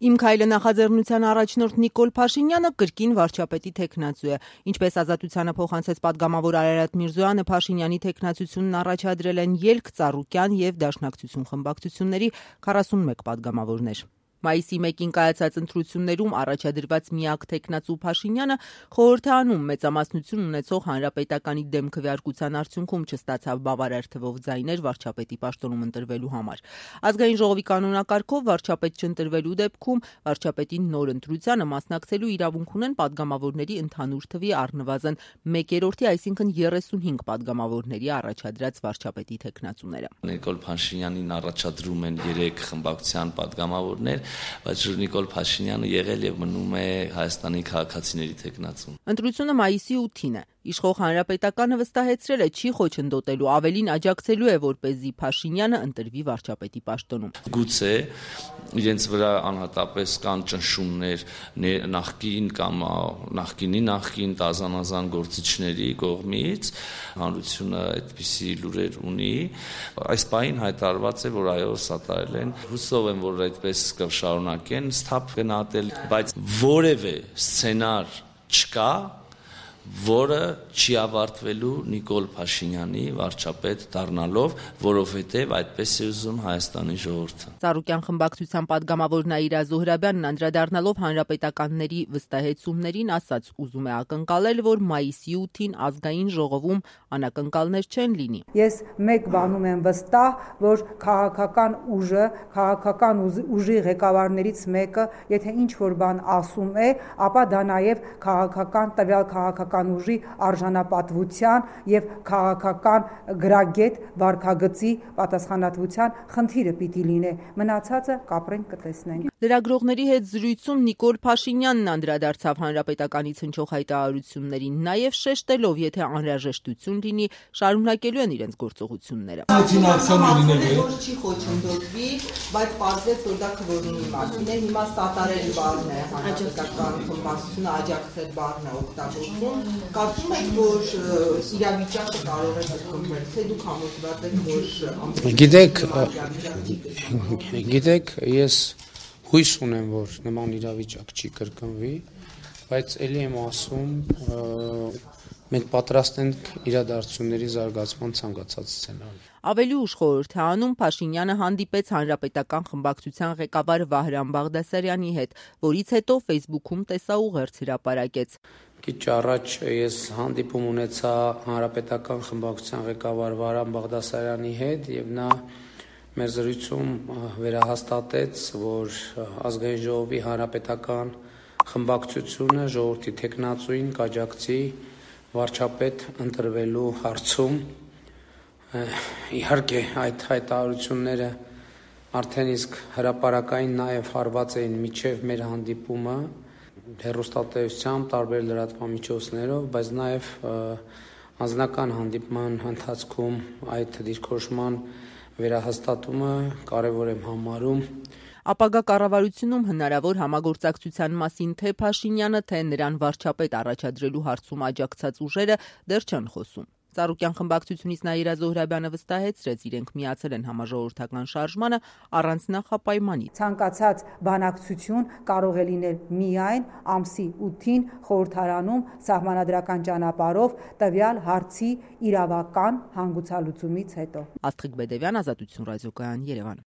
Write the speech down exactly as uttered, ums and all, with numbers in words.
Իմ քայլը նախաձեռնության առաջնորդ Նիկոլ Փաշինյանը կրկին վարչապետի թեկնածու է։ Ինչպես Ազատությանը փոխանցեց պատգամավոր Արարատ Միրզոյանը, Փաշինյանի թեկնածությունն առաջադրել են Ելք, Ծառուկյան և Դաշնակցություն խմբակցությունների քառասունմեկ պատգամավորներ։ Մայիսի մեկին կայացած ընտրություններում առաջադրված միակ թեկնածու Փաշինյանը խորհուրդ է անում մեծամասնություն ունեցող Հանրապետականի դեմ քվեարկության արդյունքում չստացավ բավարար թվով ձայներ վարչապետի պաշտոնում ընտրվելու համար։ Ազգային ժողովի կանոնակարգով վարչապետ չընտրվելու դեպքում վարչապետին նոր ընտրությանը մասնակցելու իրավունք ունեն պատգամավորների ընդհանուր թվի առնվազն մեկերորդի, այսինքն երեսունհինգ պատգամավորների առաջադրած վարչապետի թեկնածուները։ Նիկոլ Փաշինյանին առաջադրում են երեք խմբակցության պատգամավորներ, բայց Նիկոլ Փաշինյանը եղել եւ մնում է Հայաստանի քաղաքացիների թեկնածուն։ Ընտրությունը մայիսի ութին է։ Իշխող Հանրապետականը վստահեցրել է չի խոչընդոտելու, ավելին աջակցելու է, որպեսզի Փաշինյանը ընտրվի վարչապետի պաշտոնում։ Գուցե իրենց վրա անհատապես կան ճնշումներ նախկին կամ նախկինի նախկին տազանազան գործիչների կողմից, հանրությունը այդպիսի լուրեր ունի։ Այս պահին հայտարարված է, որ այո, սատարել են։ Հուսով եմ, որ այդպես կշարունակեն սթափ գնահատել, բայց որևէ սցենար չկա, որը չի ավարտվելու Նիկոլ Փաշինյանի վարչապետ դառնալով, որովհետև այդպես է ուզում Հայաստանի ժողովուրդը։ Ծառուկյան խմբակցության պատգամավոր Նաիրա Զոհրաբյանն անդրադառնալով հանրապետականների վստահեցումներին ասաց, ուզում է ակնկալել, որ մայիսի ութին ազգային ժողովում անակնկալներ չեն լինի։ Ես մեկ բանում եմ վստահ, որ քաղաքական ուժը, քաղաքական ուժի ղեկավարներից մեկը, եթե ինչ-որ բան ասում է, ապա դա նաև քաղաքական տվյալ քաղաքական ուժի արժանապատվության եւ քաղաքական գրագետ վարքագծի պատասխանատվության խնդիրը պիտի լինի։ Մնացածը կապրենք կտեսնենք։ Լրագրողների հետ զրույցում Նիկոլ Փաշինյանն անդրադարձավ հանրապետականից հնչող հայտարարություններին, նաև շեշտելով, եթե անհրաժեշտություն լինի, շարունակելու են իրենց գործողությունները։ Չի խոչընդոտվի, բայց պարզվեց, որ դա քվորումի մասին է, հիմա սատարել բառն է հանրապետական խմբակցությունը աջակցել բառն է օգտագործում։ Կարծում եք, որ իրավիճակը կարող է կրկնվել, թե դուք համոզված եք, որ Գիտեք, գիտեք, ես հույս ունեմ, որ նման իրավիճակ չի կրկնվի, բայց ելի եմ ասում, մենք պատրաստ ենք իրադարձությունների զարգացման ցանկացած սցենարի։ Ավելի ուշ խորհուրդ է անում Փաշինյանը հանդիպեց հանրապետական խմբակցության ղեկավար Վահրամ Բաղդասարյանի հետ, որից հետո Facebook-ում տեսաուղերձ հրապարակեց։ Քիչ առաջ ես հանդիպում ունեցա հանրապետական խմբակցության ղեկավար Վահրամ Բաղդասարյանի հետ եւ նա մեր զրույցում վերահաստատեց, որ ազգային ժողովի հանրապետական խմբակցությունը ժողովրդի թեկնածուին կաջակցի վարչապետ ընտրվելու հարցում։ Իհարկե այդ հայտարարությունները արդեն իսկ հրապարակային նաև հարված էին միջև մեր հանդիպումը հեռուստատեսությամբ, տարբեր լրատվամիջոցներով, բայց նաև անձնական հանդիպման ընթացքում այդ դիրքորոշման վերահաստատումը կարևոր եմ համարում։ Ապագա կառավարությունում հնարավոր համագործակցության մասին թե Փաշինյանը, թե նրան վարչապետ առաջադրելու հարցում աջակցած ուժերը դեռ չեն խոսում։ Ծառուկյան խմբակցությունից Նաիրա Զոհրաբյանը վստահեցրեց, իրենք միացել են համաժողովրդական շարժմանը առանց նախապայմանի։ Ցանկացած բանակցություն կարող է լինել միայն ամսի ութին խորհրդարանում սահմանադրական ճանապարհով տվյալ հարցի իրավական հանգուցալուծումից հետո։ Աստղիկ Բեդևյան, Ազատություն ռադիոկայան, Երևան։